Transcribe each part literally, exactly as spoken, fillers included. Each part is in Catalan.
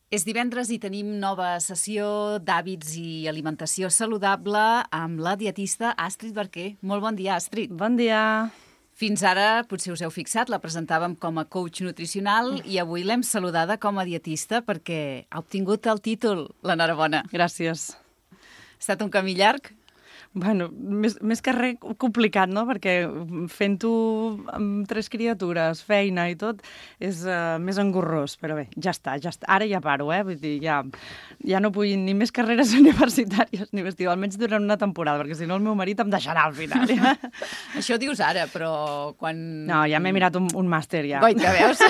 És divendres i tenim nova sessió d'hàbits i alimentació saludable amb la dietista Astrid Barquer. Molt bon dia, Astrid. Bon dia. Fins ara, potser us heu fixat, la presentàvem com a coach nutricional i avui l'hem saludada com a dietista perquè ha obtingut el títol. L'enhorabona. Gràcies. Ha estat un camí llarg? Bueno, més, més que res complicat, no? Perquè fent-ho amb tres criatures, feina i tot, és uh, més engorrós. Però bé, ja està, ja està. Ara ja paro, eh? Vull dir, ja, ja no vull ni més carreres universitàries ni vestir, almenys durant una temporada, perquè si no el meu marit em deixarà al final. Ja. Això dius ara, però quan... No, ja m'he mirat un, un màster, ja. Goita, veus?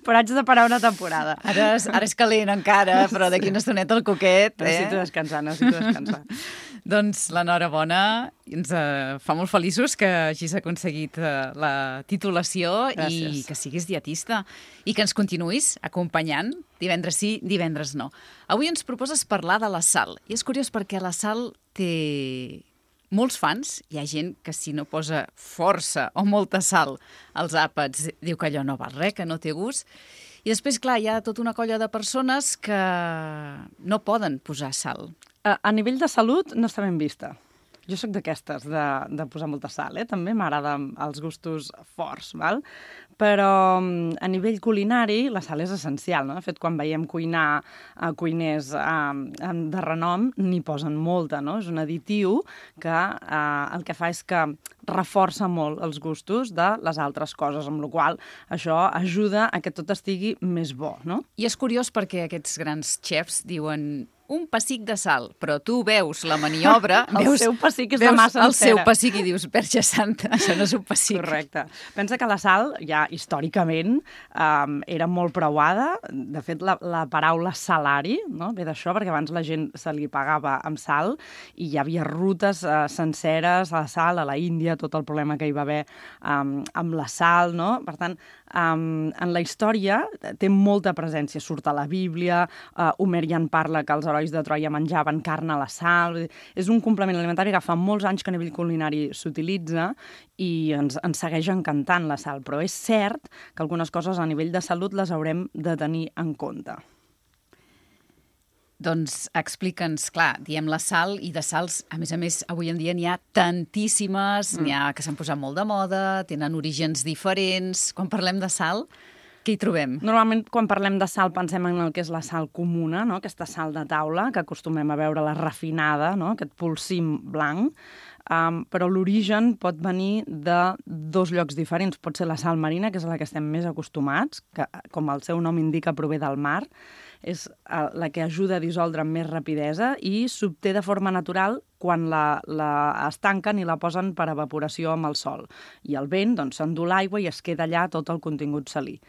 Però haig de parar una temporada. Ara és, ara és calent encara, però d'aquí una estoneta el coquet, eh? Necessito descansar, necessito descansar. Doncs l'enhorabona, ens uh, fa molt feliços que hagis aconseguit uh, la titulació. Gràcies. I que siguis dietista i que ens continuïs acompanyant divendres sí, divendres no. Avui ens proposes parlar de la sal i és curiós perquè la sal té molts fans. Hi ha gent que si no posa força o molta sal als àpats diu que allò no val res, que no té gust. I després, clar, hi ha tota una colla de persones que no poden posar sal. A, a nivell de salut no està ben vista. Jo sóc d'aquestes, de, de posar molta sal, eh? També m'agraden els gustos forts, val? Però a nivell culinari la sal és essencial, no? De fet, quan veiem cuinar a cuiners eh, de renom, n'hi posen molta, no? És un additiu que eh, el que fa és que reforça molt els gustos de les altres coses, amb la qual cosa això ajuda a que tot estigui més bo, no? I és curiós perquè aquests grans xefs diuen un pessic de sal, però tu veus la maniobra... el veus, seu pessic és de massa el encera. seu pessic i dius, Verge Santa, això no és un pessic. Correcte. Pensa que la sal, ja històricament, um, era molt preuada. De fet, la, la paraula salari, no? Ve d'això, perquè abans la gent se li pagava amb sal i hi havia rutes uh, senceres a la sal, a la Índia, tot el problema que hi va haver um, amb la sal, no? Per tant, um, en la història té molta presència. Surt a la Bíblia, uh, Homer ja en parla que els herois de Troia menjaven carn a la sal. És un complement alimentari que fa molts anys que a nivell culinari s'utilitza i ens, ens segueix encantant la sal. Però és cert que algunes coses a nivell de salut les haurem de tenir en compte. Doncs explica'ns, clar, diem la sal i de sals, a més a més, avui en dia n'hi ha tantíssimes, mm. n'hi ha que s'han posat molt de moda, tenen orígens diferents. Quan parlem de sal, què hi trobem? Normalment, quan parlem de sal, pensem en el que és la sal comuna, no? Aquesta sal de taula, que acostumem a veure la refinada, no? Aquest polsim blanc. Um, però l'origen pot venir de dos llocs diferents. Pot ser la sal marina, que és a la que estem més acostumats, que, com el seu nom indica, prové del mar. És uh, la que ajuda a dissoldre amb més rapidesa i s'obté de forma natural quan la, la estanquen i la posen per evaporació amb el sol. I el vent doncs, s'endú l'aigua i es queda allà tot el contingut salí.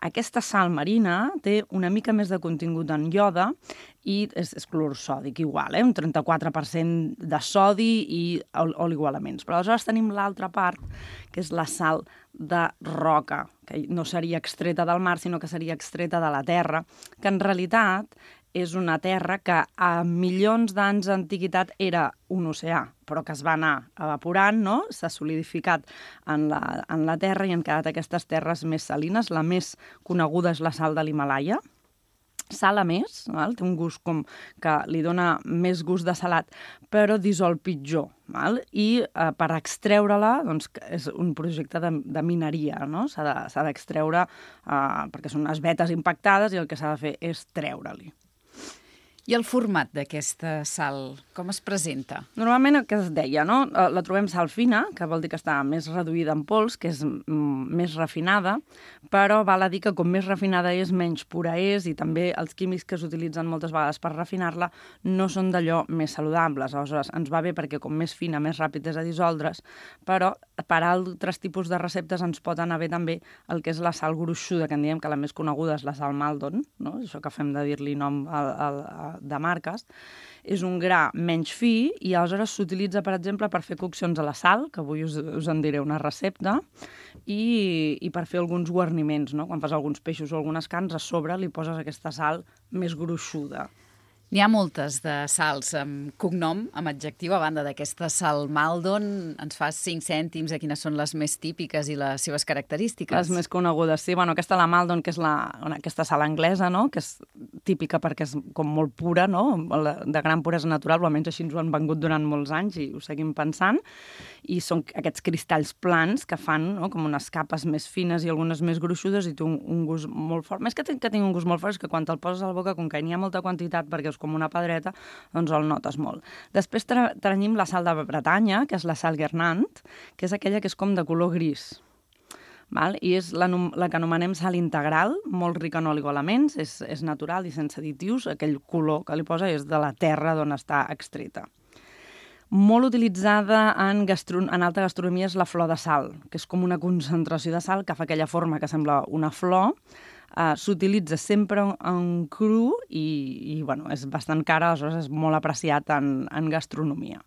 Aquesta sal marina té una mica més de contingut en ioda i és, és clorur sòdic igual, eh? Un trenta-quatre per cent de sodi i oligoelements. Però aleshores tenim l'altra part, que és la sal de roca, que no seria extreta del mar, sinó que seria extreta de la terra, que en realitat és una terra que a milions d'anys d'antiguitat era un oceà, però que es va anar evaporant, no? S'ha solidificat en la, en la terra i han quedat aquestes terres més salines. La més coneguda és la sal de l'Himàlaia. Sala més, val? Té un gust com que li dona més gust de salat, però dissol pitjor. Val? I eh, per extreure-la, doncs, és un projecte de, de mineria, no? S'ha de, s'ha d'extreure eh, perquè són unes vetes impactades i el que s'ha de fer és treure-li. I el format d'aquesta sal, com es presenta? Normalment el que es deia, no? La trobem sal fina, que vol dir que està més reduïda en pols, que és mm, més refinada, però val a dir que com més refinada és, menys pura és, i també els químics que s'utilitzen moltes vegades per refinar-la no són d'allò més saludables. Aleshores, ens va bé perquè com més fina, més ràpid és a dissoldre's, però per altres tipus de receptes ens pot anar bé també el que és la sal gruixuda, que en diem que la més coneguda és la sal Maldon, no? Això que fem de dir-li nom al, al, de marques, és un gra menys fi i aleshores s'utilitza, per exemple, per fer coccions a la sal, que avui us, us en diré una recepta, i, i per fer alguns guarniments, no? Quan fas alguns peixos o algunes carns, a sobre li poses aquesta sal més gruixuda. N'hi ha moltes de sals amb cognom, amb adjectiu, a banda d'aquesta sal Maldon. Ens fas cinc cèntims de quines són les més típiques i les seves característiques. Les més conegudes, sí. Bueno, aquesta la Maldon, que és la, aquesta sal anglesa, no? Que és típica perquè és com molt pura, no? De gran puresa natural, o almenys així ens ho han vengut durant molts anys i ho seguim pensant. I són aquests cristalls plans que fan, no? Com unes capes més fines i algunes més gruixudes i té un, un gust molt fort. Més que, que tingui un gust molt fort és que quan te'l poses a la boca, com que n'hi ha molta quantitat perquè és com una pedreta, doncs el notes molt. Després tenim la sal de Bretanya, que és la sal Guernant, que és aquella que és com de color gris. Val? I és la, la que anomenem sal integral, molt rica en oligoelements, és, és natural i sense additius. Aquell color que li posa és de la terra d'on està extreta. Molt utilitzada en, gastro... en alta gastronomia és la flor de sal, que és com una concentració de sal que fa aquella forma que sembla una flor. Uh, s'utilitza sempre en cru i, i bueno, és bastant cara, aleshores és molt apreciat en, en gastronomia.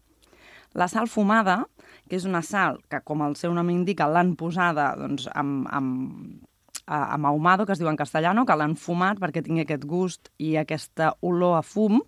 La sal fumada, que és una sal que, com el seu nom indica, l'han posada doncs, amb, amb, amb ahumado, que es diu en castellano, que l'han fumat perquè tingui aquest gust i aquesta olor a fum.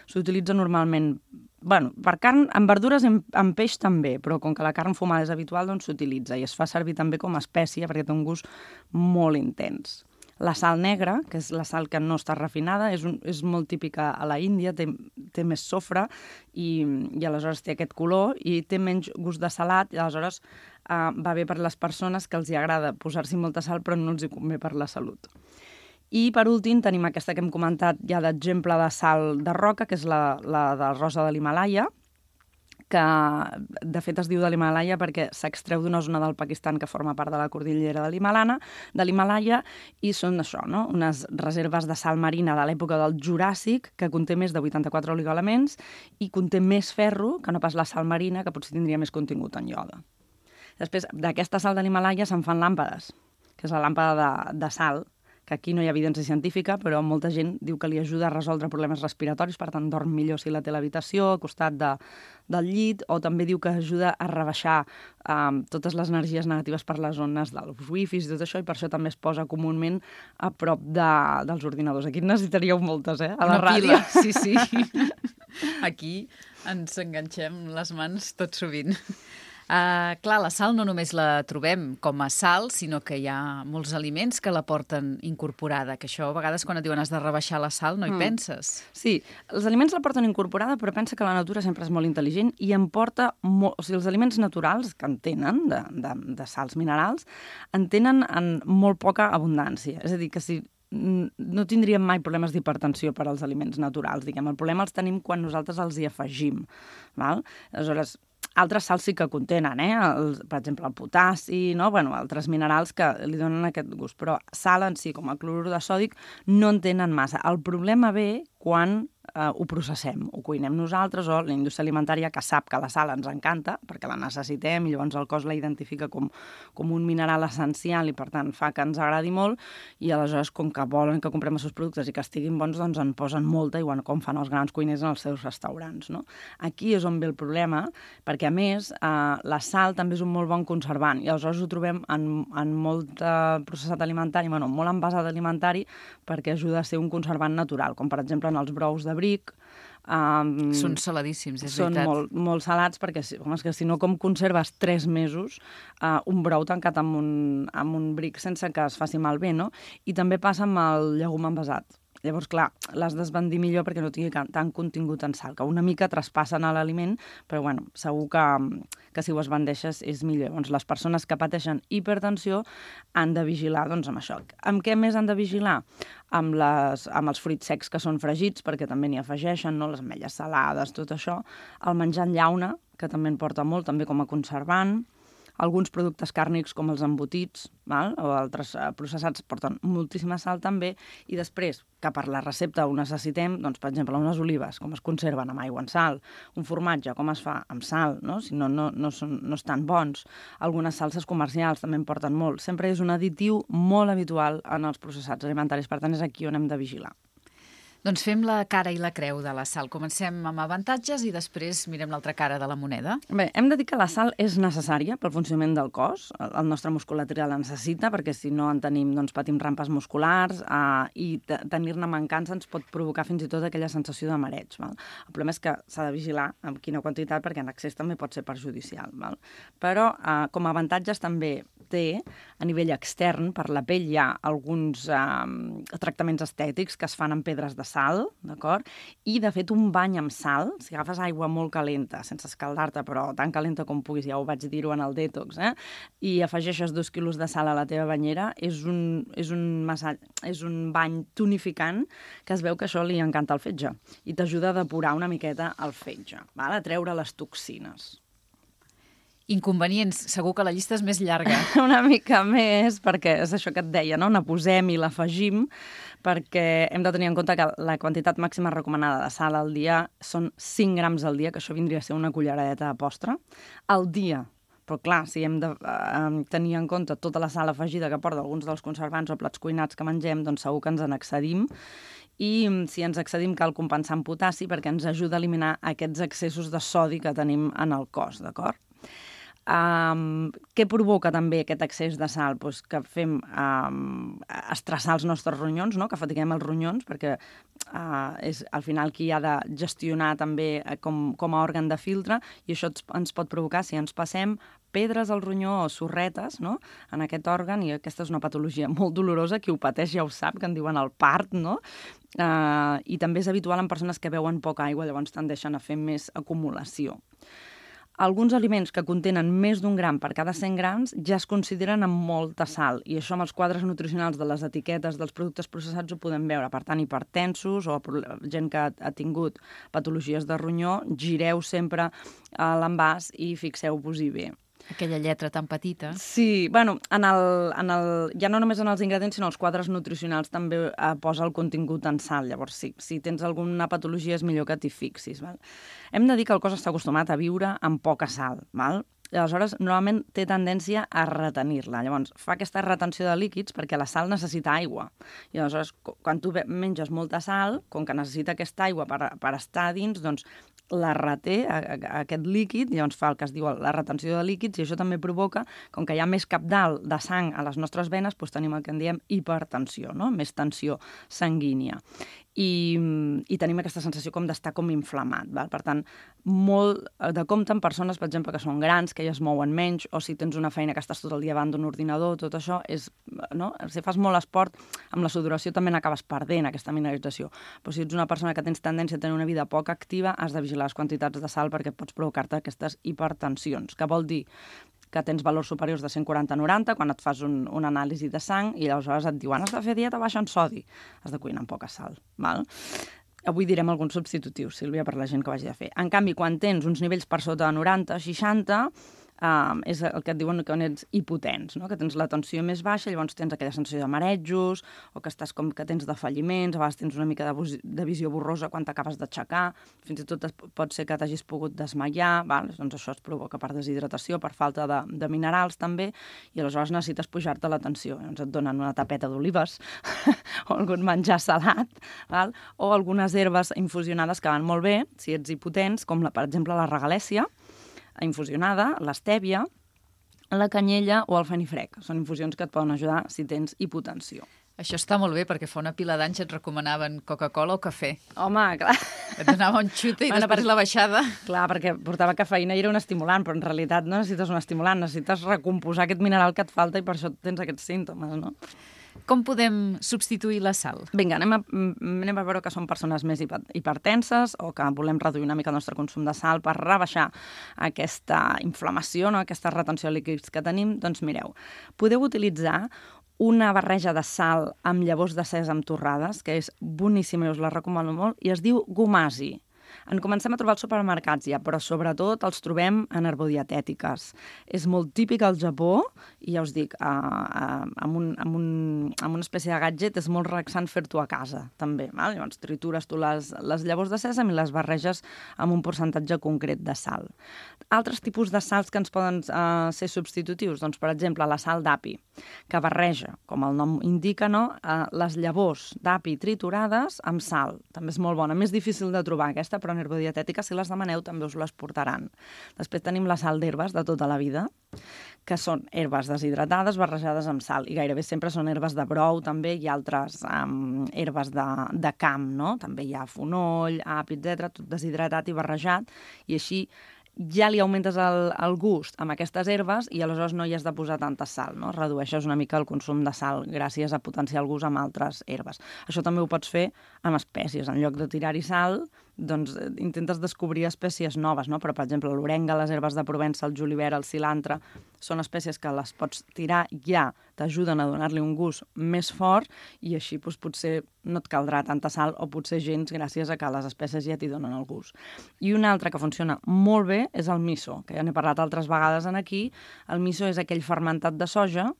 S'utilitza normalment bueno, per carn, en verdures i en, en peix també, però com que la carn fumada és habitual, doncs s'utilitza i es fa servir també com a espècia perquè té un gust molt intens. La sal negra, que és la sal que no està refinada, és, un, és molt típica a la Índia, té, té més sofre i, i aleshores té aquest color i té menys gust de salat i aleshores uh, va bé per les persones que els hi agrada posar-s'hi molta sal però no els hi convé per la salut. I per últim tenim aquesta que hem comentat ja d'exemple de sal de roca, que és la, la de rosa de l'Himàlaia, que de fet es diu de l'Himàlaia perquè s'extreu d'una zona del Pakistan que forma part de la cordillera de l'Himàlaia, de l'Himàlaia i són això, no? Unes reserves de sal marina de l'època del Juràssic que conté més de vuitanta-quatre oligoelements i conté més ferro que no pas la sal marina, que potser tindria més contingut en ioda. Després, d'aquesta sal de l'Himàlaia se'n fan làmpades, que és la làmpada de, de sal, que aquí no hi ha evidència científica, però molta gent diu que li ajuda a resoldre problemes respiratoris, per tant dorm millor si la té a l'habitació, al costat de, del llit, o també diu que ajuda a rebaixar um, totes les energies negatives per les zones dels wifis i tot això, i per això també es posa comúment a prop de, dels ordinadors. Aquí en necessitaríeu moltes, eh? A la Una ràdio. pila, sí, sí. Aquí ens enganxem les mans tot sovint. Uh, clar, la sal no només la trobem com a sal, sinó que hi ha molts aliments que la porten incorporada, que això a vegades quan et diuen has de rebaixar la sal no hi mm. penses. Sí, els aliments la porten incorporada, però pensa que la natura sempre és molt intel·ligent i en porta molt... O sigui, els aliments naturals que en tenen, de, de, de sals minerals, en tenen en molt poca abundància. És a dir, que si no tindríem mai problemes d'hipertensió per als aliments naturals, diguem. El problema els tenim quan nosaltres els hi afegim, val? Aleshores, altres sals sí que contenen, eh? El, per exemple, el potassi, no? Bueno, altres minerals que li donen aquest gust, però sal en si, com el clorur de sòdic, no en tenen massa. El problema ve quan eh, ho processem, ho cuinem nosaltres o la indústria alimentària que sap que la sal ens encanta perquè la necessitem i llavors el cos la identifica com, com un mineral essencial i per tant fa que ens agradi molt i aleshores com que volen que comprem els seus productes i que estiguin bons doncs en posen molta igual com fan els grans cuiners en els seus restaurants, no? Aquí és on ve el problema perquè a més eh, la sal també és un molt bon conservant i aleshores ho trobem en, en molt eh, processat alimentari, bueno, molt envasat alimentari perquè ajuda a ser un conservant natural, com per exemple en els brous de bric. Um, són saladíssims, és són veritat. Són molt, molt salats perquè home, és que si no com conserves tres mesos uh, un brou tancat amb un, amb un bric sense que es faci malbé, no? I també passa amb el llegum envasat. Llavors, clar, l'has d'esbandir millor perquè no tingui tant contingut en sal, que una mica traspassen a l'aliment, però bueno, segur que, que si ho esbandeixes és millor. Llavors, les persones que pateixen hipertensió han de vigilar doncs, amb això. Amb què més han de vigilar? Amb, les, amb els fruits secs que són fregits, perquè també n'hi afegeixen, no? Les ametlles salades, tot això. El menjar en llauna, que també en porta molt, també com a conservant. Alguns productes càrnics com els embotits, val? O altres eh, processats porten moltíssima sal també, i després, que per la recepta ho necessitem, doncs, per exemple, unes olives, com es conserven amb aigua en sal, un formatge, com es fa amb sal, no? Si no, no, no, són, no estan bons. Algunes salses comercials també en porten molt. Sempre és un additiu molt habitual en els processats alimentaris, per tant, és aquí on hem de vigilar. Doncs fem la cara i la creu de la sal. Comencem amb avantatges i després mirem l'altra cara de la moneda. Bé, hem de dir que la sal és necessària pel funcionament del cos. El nostre musculatura la necessita perquè si no en tenim, doncs patim rampes musculars eh, i tenir-ne mancança ens pot provocar fins i tot aquella sensació de mareig. Val? El problema és que s'ha de vigilar amb quina quantitat perquè en excés també pot ser perjudicial. Val? Però eh, com a avantatges també té, a nivell extern, per la pell hi ha alguns eh, tractaments estètics que es fan amb pedres de sal, d'acord? I, de fet, un bany amb sal, si agafes aigua molt calenta, sense escaldar-te, però tan calenta com puguis, ja ho vaig dir-ho en el detox, eh? I afegeixes dos quilos de sal a la teva banyera, és un, és un, massatge, és un bany tonificant que es veu que això li encanta al fetge i t'ajuda a depurar una miqueta el fetge, val? A treure les toxines. Inconvenients, segur que la llista és més llarga. Una mica més, perquè és això que et deia, no? N'aposem i l'afegim, perquè hem de tenir en compte que la quantitat màxima recomanada de sal al dia són cinc grams al dia, que això vindria a ser una culleradeta de postre, al dia. Però clar, si hem de eh, tenir en compte tota la sal afegida que porta alguns dels conservants o plats cuinats que mengem, doncs segur que ens en excedim. I si ens excedim cal compensar amb potassi perquè ens ajuda a eliminar aquests excessos de sodi que tenim en el cos, d'acord? Um, què provoca també aquest excés de sal? Pues que fem um, estressar els nostres ronyons, no? Que fatiguem els ronyons, perquè uh, és al final qui ha de gestionar també com, com a òrgan de filtre, i això ens pot provocar, si ens passem, pedres al ronyó o sorretes, no? En aquest òrgan, i aquesta és una patologia molt dolorosa, qui ho pateix ja ho sap, que en diuen el part, no? Uh, I també és habitual en persones que beuen poca aigua, llavors tendeixen a fer més acumulació. Alguns aliments que contenen més d'un gram per cada cent grams ja es consideren amb molta sal, i això amb els quadres nutricionals de les etiquetes dels productes processats ho podem veure. Per tant, hipertensos o gent que ha tingut patologies de ronyó, gireu sempre a l'envàs i fixeu-vos-hi bé. Aquella lletra tan petita. Sí, bueno, en el, en el, ja no només en els ingredients, sinó els quadres nutricionals també eh, posa el contingut en sal. Llavors, sí, si tens alguna patologia és millor que t'hi fixis. Val? Hem de dir que el cos està acostumat a viure amb poca sal, val? I aleshores normalment té tendència a retenir-la. Llavors, fa aquesta retenció de líquids perquè la sal necessita aigua. I aleshores, quan tu menges molta sal, com que necessita aquesta aigua per, per estar dins, doncs la reté, a, a, aquest líquid, llavors fa el que es diu la retenció de líquids, i això també provoca, com que hi ha més cabdal de sang a les nostres venes, doncs tenim el que en diem hipertensió, no? Més tensió sanguínia. I, i tenim aquesta sensació com d'estar com inflamat. Val? Per tant, molt de compte en persones, per exemple, que són grans, que ja es mouen menys, o si tens una feina que estàs tot el dia davant d'un ordinador, tot això és, no? Si fas molt esport, amb la sudoració també n'acabes perdent aquesta mineralització. Però si ets una persona que tens tendència a tenir una vida poc activa, has de vigilar les quantitats de sal perquè pots provocar-te aquestes hipertensions, que vol dir que tens valors superiors de cent quaranta a noranta quan et fas un, un anàlisi de sang i aleshores et diuen has de fer dieta baixa en sodi, has de cuinar amb poca sal. Val? Avui direm alguns substitutius, Sílvia, per la gent que ho hagi de fer. En canvi, quan tens uns nivells per sota de noranta, seixanta, Um, és el que et diuen que ets hipotens, no? Que tens la tensió més baixa, llavors tens aquella sensació de marejos, o que estàs com que tens defalliments, a vegades tens una mica de, de visió borrosa quan t'acabes d'aixecar, fins i tot pot ser que t'hagis pogut desmaiar, val? Doncs això es provoca per deshidratació, per falta de, de minerals també, i aleshores necessites pujar-te la tensió. Llavors et donen una tapeta d'olives o algun menjar salat, val? O algunes herbes infusionades que van molt bé, si ets hipotens, com la, per exemple la regalèssia, infusionada, l'estèvia, la canyella o el fenifrec. Són infusions que et poden ajudar si tens hipotensió. Això està molt bé, perquè fa una pila d'anys et recomanaven Coca-Cola o cafè. Home, clar. Et donava un xute i bueno, després per... la baixada. Clar, perquè portava cafeïna i era un estimulant, però en realitat no necessites un estimulant, necessites recomposar aquest mineral que et falta i per això tens aquests símptomes, no? Com podem substituir la sal? Vinga, anem a, anem a veure que són persones més hipertenses o que volem reduir una mica el nostre consum de sal per rebaixar aquesta inflamació, no? Aquesta retenció de líquids que tenim. Doncs mireu, podeu utilitzar una barreja de sal amb llavors de sèsam torrades, que és boníssima i us la recomano molt, i es diu gomasi. En comencem a trobar als supermercats ja, però sobretot els trobem en herbodietètiques. És molt típic al Japó, i ja us dic, a, a, amb, un, amb, un, amb una espècie de gadget és molt relaxant fer-t'ho a casa, també. Val? Llavors tritures tu les, les llavors de sèsam i les barreges amb un percentatge concret de sal. Altres tipus de sals que ens poden uh, ser substitutius, doncs, per exemple, la sal d'api, que barreja, com el nom indica, no? uh, les llavors d'api triturades amb sal. També és molt bona. Més difícil de trobar aquesta, però en herbodietètica, si les demaneu, també us les portaran. Després tenim la sal d'herbes de tota la vida, que són herbes deshidratades barrejades amb sal, i gairebé sempre són herbes de brou, també hi ha altres um, herbes de, de camp, no? També hi ha fonoll, api, etcètera, tot deshidratat i barrejat, i així ja li augmentes el, el gust amb aquestes herbes i aleshores no hi has de posar tanta sal, no? Redueixes una mica el consum de sal gràcies a potenciar el gust amb altres herbes. Això també ho pots fer amb espècies. En lloc de tirar-hi sal, doncs intentes descobrir espècies noves, no? Però, per exemple, l'orenga, les herbes de Provença, el julivert, el cilantre, són espècies que les pots tirar ja, t'ajuden a donar-li un gust més fort i així doncs, potser no et caldrà tanta sal o potser gens gràcies a que les espècies ja t'hi donen el gust. I una altra que funciona molt bé és el miso, que ja n'he parlat altres vegades en aquí. El miso és aquell fermentat de soja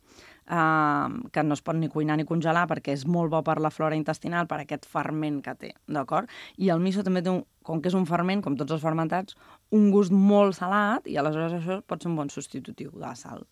Uh, que no es pot ni cuinar ni congelar perquè és molt bo per la flora intestinal, per aquest ferment que té, d'acord? I el miso també té, un, com que és un ferment, com tots els fermentats, un gust molt salat i aleshores això pot ser un bon substitutiu de la sal.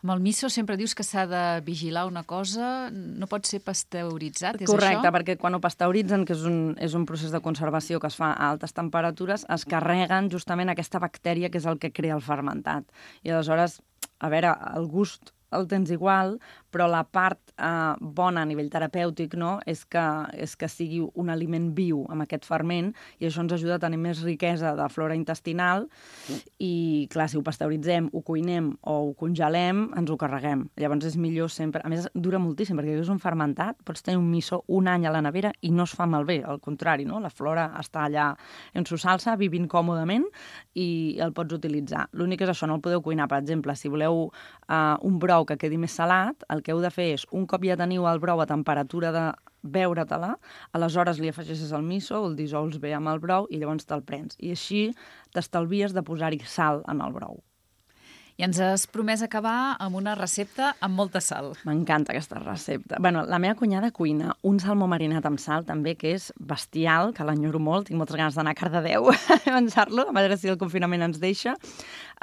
Amb el miso sempre dius que s'ha de vigilar una cosa, no pot ser pasteuritzat, és Correcte, això? perquè quan ho pasteuritzen, que és un, és un procés de conservació que es fa a altes temperatures, es carreguen justament aquesta bactèria que és el que crea el fermentat. I aleshores, a veure, el gust el tens igual, però la part eh, bona a nivell terapèutic, no? és, que, és que sigui un aliment viu amb aquest ferment i això ens ajuda a tenir més riquesa de flora intestinal i, clar, si ho pasteuritzem, ho cuinem o ho congelem, ens ho carreguem. Llavors és millor sempre... A més, dura moltíssim, perquè és un fermentat, pots tenir un miso un any a la nevera i no es fa malbé, al contrari, no? La flora està allà en su salsa, vivint còmodament i el pots utilitzar. L'únic és això, no el podeu cuinar. Per exemple, si voleu eh, un brou que quedi més salat, el que heu de fer és, un cop ja teniu el brou a temperatura de beure-te-la, aleshores li afegeixes el miso, el dissols bé amb el brou i llavors te'l prens. I així t'estalvies de posar-hi sal en el brou. I ens has promès acabar amb una recepta amb molta sal. M'encanta aquesta recepta. Bueno, la meva cunyada cuina un salmó marinat amb sal, també, que és bestial, que l'enyoro molt, tinc moltes ganes d'anar a Cardedeu a menjar-lo, a veure si el confinament ens deixa,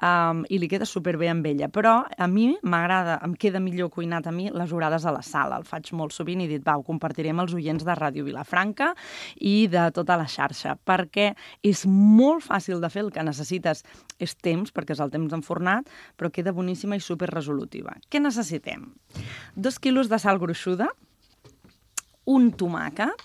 um, i li queda superbé amb ella. Però a mi m'agrada, em queda millor cuinat a mi les orades a la sal. El faig molt sovint i he dit, va, ho compartiré amb els oients de Ràdio Vilafranca i de tota la xarxa, perquè és molt fàcil de fer, el que necessites és temps, perquè és el temps enfornat, però queda boníssima i superresolutiva. Què necessitem? Dos quilos de sal gruixuda, un tomàquet,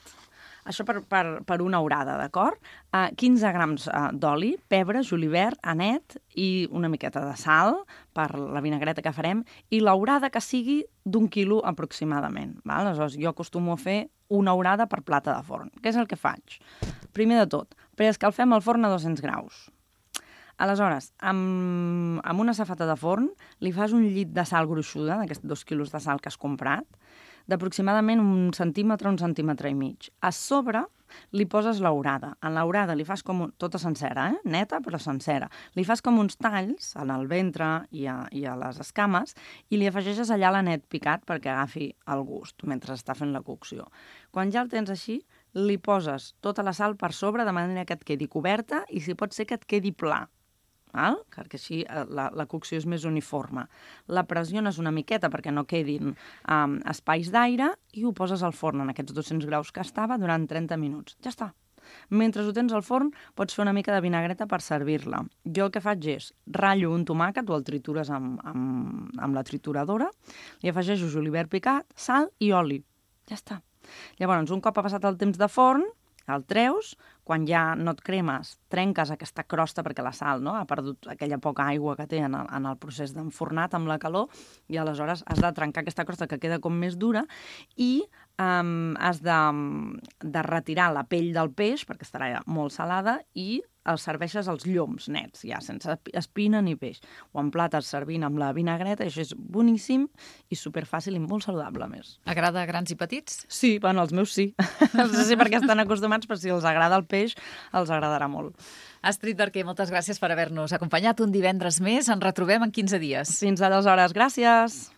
això per, per, per una orada, d'acord? Uh, quinze grams uh, d'oli, pebre, julivert, anet i una miqueta de sal per la vinagreta que farem i l'orada que sigui d'un quilo aproximadament. Val? Aleshores, jo acostumo a fer una orada per plata de forn. Què és el que faig? Primer de tot, preescalfem el forn a dos-cents graus. Aleshores, amb, amb una safata de forn li fas un llit de sal gruixuda, d'aquests dos quilos de sal que has comprat, d'aproximadament un centímetre, un centímetre i mig. A sobre li poses l'orada. En l'orada li fas com un, tota sencera, eh? Neta però sencera. Li fas com uns talls en el ventre i a, i a les escames i li afegeixes allà l'anet picat perquè agafi el gust mentre està fent la cocció. Quan ja el tens així, li poses tota la sal per sobre de manera que et quedi coberta i si pot ser que et quedi pla. Val? Perquè així la, la cocció és més uniforme. La pressiones una miqueta perquè no quedin um, espais d'aire i ho poses al forn en aquests dos-cents graus que estava durant trenta minuts. Ja està. Mentre ho tens al forn, pots fer una mica de vinagreta per servir-la. Jo el que faig és ratllo un tomàquet o el tritures amb, amb, amb la trituradora, li afegeixo julivert picat, sal i oli. Ja està. Llavors, un cop ha passat el temps de forn, el treus, quan ja no et cremes, trenques aquesta crosta perquè la sal, no?, ha perdut aquella poca aigua que té en el, en el procés d'enfornat amb la calor i aleshores has de trencar aquesta crosta que queda com més dura i um, has de, de retirar la pell del peix perquè estarà molt salada i els serveixes els lloms nets, ja, sense espina ni peix. O en plates servint amb la vinagreta, això és boníssim i superfàcil i molt saludable, a més. Agrada a grans i petits? Sí, bueno, els meus sí. No sé si perquè estan acostumats, però si els agrada el peix, els agradarà molt. Astrid Barquer, moltes gràcies per haver-nos acompanyat un divendres més. Ens retrobem en quinze dies. Fins aleshores, gràcies!